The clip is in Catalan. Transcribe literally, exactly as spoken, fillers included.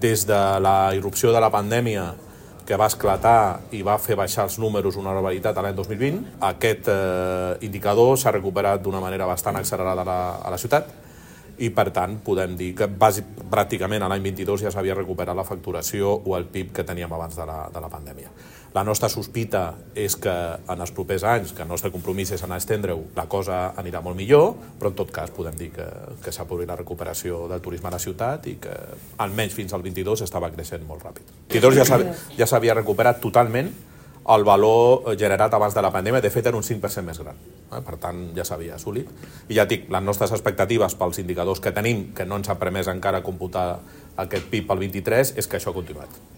Des de la irrupció de la pandèmia, que va esclatar i va fer baixar els números una barbaritat a l'any dos mil vint, aquest eh, indicador s'ha recuperat d'una manera bastant accelerada a la, a la ciutat i, per tant, podem dir que bàsic, pràcticament a l'any vint-i-dos ja s'havia recuperat la facturació o el P I B que teníem abans de la, de la pandèmia. La nostra sospita és que en els propers anys, que el nostre compromís és anar a estendre-ho, la cosa anirà molt millor, però en tot cas podem dir que, que s'ha produït la recuperació del turisme a la ciutat i que almenys fins al vint-i-dos estava creixent molt ràpid. El vint-i-dos ja s'havia recuperat totalment el valor generat abans de la pandèmia, de fet era un cinc per cent més gran, eh? Per tant ja s'havia assolit. I ja dic, les nostres expectatives pels indicadors que tenim, que no ens ha permès encara computar aquest P I B pel vint-i-tres, és que això ha continuat.